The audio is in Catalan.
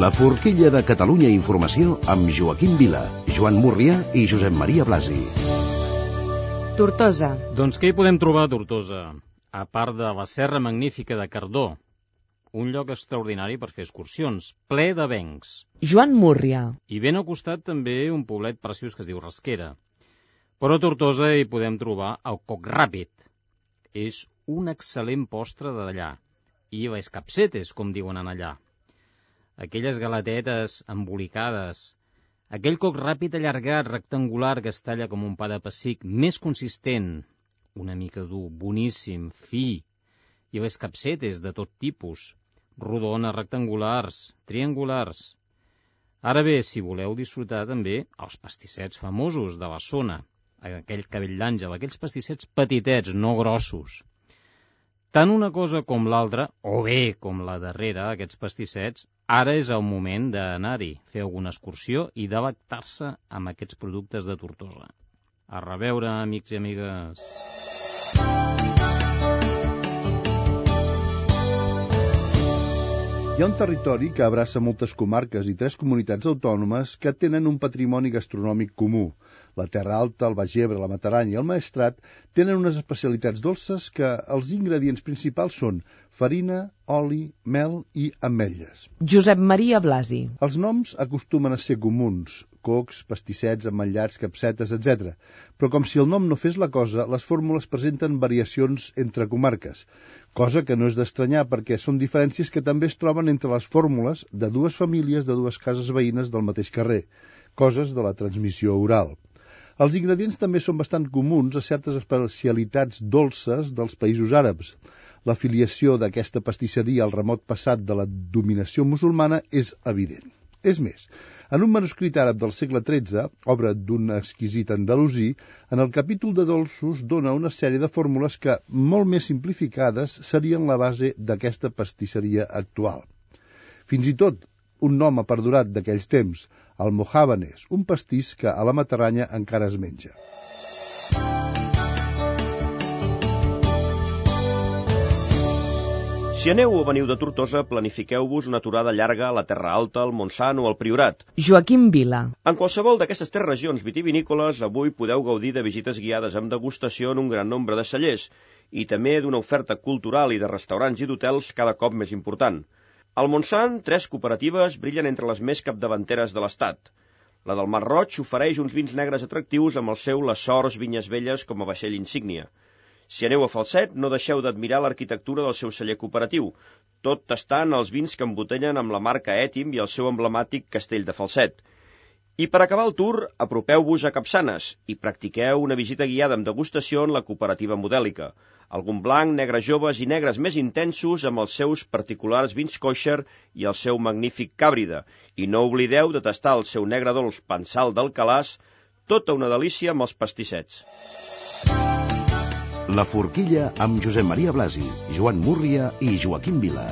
La forquilla de Catalunya Informació amb Joaquim Vila, Joan Múrria i Josep Maria Blasi. Tortosa. Doncs què hi podem trobar a Tortosa? A part de la serra magnífica de Cardó, un lloc extraordinari per fer excursions, ple d'avencs. Joan Múrria. I ben al costat també un poblet preciós que es diu Rasquera. Però a Tortosa hi podem trobar el coc ràpid. És un excel·lent postre d'allà. I les capsetes, com diuen en allà. Aquelles galatetes embolicades, aquell coc ràpid allargat, rectangular, que es talla com un pa de pessic, més consistent, una mica dur, boníssim, fi, i les capsetes de tot tipus, rodones, rectangulars, triangulars. Ara bé, si voleu disfrutar també els pastissets famosos de la zona, aquell cabell d'àngel, aquells pastissets petitets, no grossos. Tant una cosa com l'altra, o bé com la darrera, aquests pastissets, ara és el moment d'anar-hi, fer alguna excursió i delectar-se amb aquests productes de Tortosa. A reveure, amics i amigues. Hi ha un territori que abraça moltes comarques i 3 comunitats autònomes que tenen un patrimoni gastronòmic comú. La Terra Alta, el Baix Ebre, la Mataranya i el Maestrat tenen unes especialitats dolces que els ingredients principals són farina, oli, mel i ametlles. Josep Maria Blasi. Els noms acostumen a ser comuns, cocs, pastissets, ametllats, capsetes, etc. Però com si el nom no fes la cosa, les fórmules presenten variacions entre comarques, cosa que no és d'estranyar perquè són diferències que també es troben entre les fórmules de 2 famílies de 2 cases veïnes del mateix carrer, coses de la transmissió oral. Els ingredients també són bastant comuns a certes especialitats dolces dels països àrabs. La filiació d'aquesta pastisseria al remot passat de la dominació musulmana és evident. És més, en un manuscrit àrab del segle XIII, obra d'un exquisit andalusí, en el capítol de dolços dona una sèrie de fórmules que, molt més simplificades, serien la base d'aquesta pastisseria actual. Fins i tot, un nom ha perdurat d'aquells temps, el mojábanes, un pastís que a la Mataranya encara es menja. Si aneu o veniu de Tortosa, planifiqueu-vos una aturada llarga a la Terra Alta, al Montsant o al Priorat. Joaquim Vila. En qualsevol d'aquestes 3 regions vitivinícoles, avui podeu gaudir de visites guiades amb degustació en un gran nombre de cellers i també d'una oferta cultural i de restaurants i d'hotels cada cop més important. Al Montsant, 3 cooperatives brillen entre les més capdavanteres de l'estat. La del Mar Roig ofereix uns vins negres atractius amb el seu Les Sors Vinyes Velles com a vaixell insígnia. Si aneu a Falset, no deixeu d'admirar l'arquitectura del seu celler cooperatiu, tot tastant els vins que embotellen amb la marca Ètim i el seu emblemàtic Castell de Falset. I per acabar el tour, apropeu-vos a Capçanes i practiqueu una visita guiada amb degustació en la cooperativa modèlica. Algun blanc, negres joves i negres més intensos amb els seus particulars vins kosher i el seu magnífic càbrida. I no oblideu de tastar el seu negre dolç Pensal d'Alcalàs, tota una delícia amb els pastissets. La forquilla amb Josep Maria Blasi, Joan Múrria i Joaquim Vila.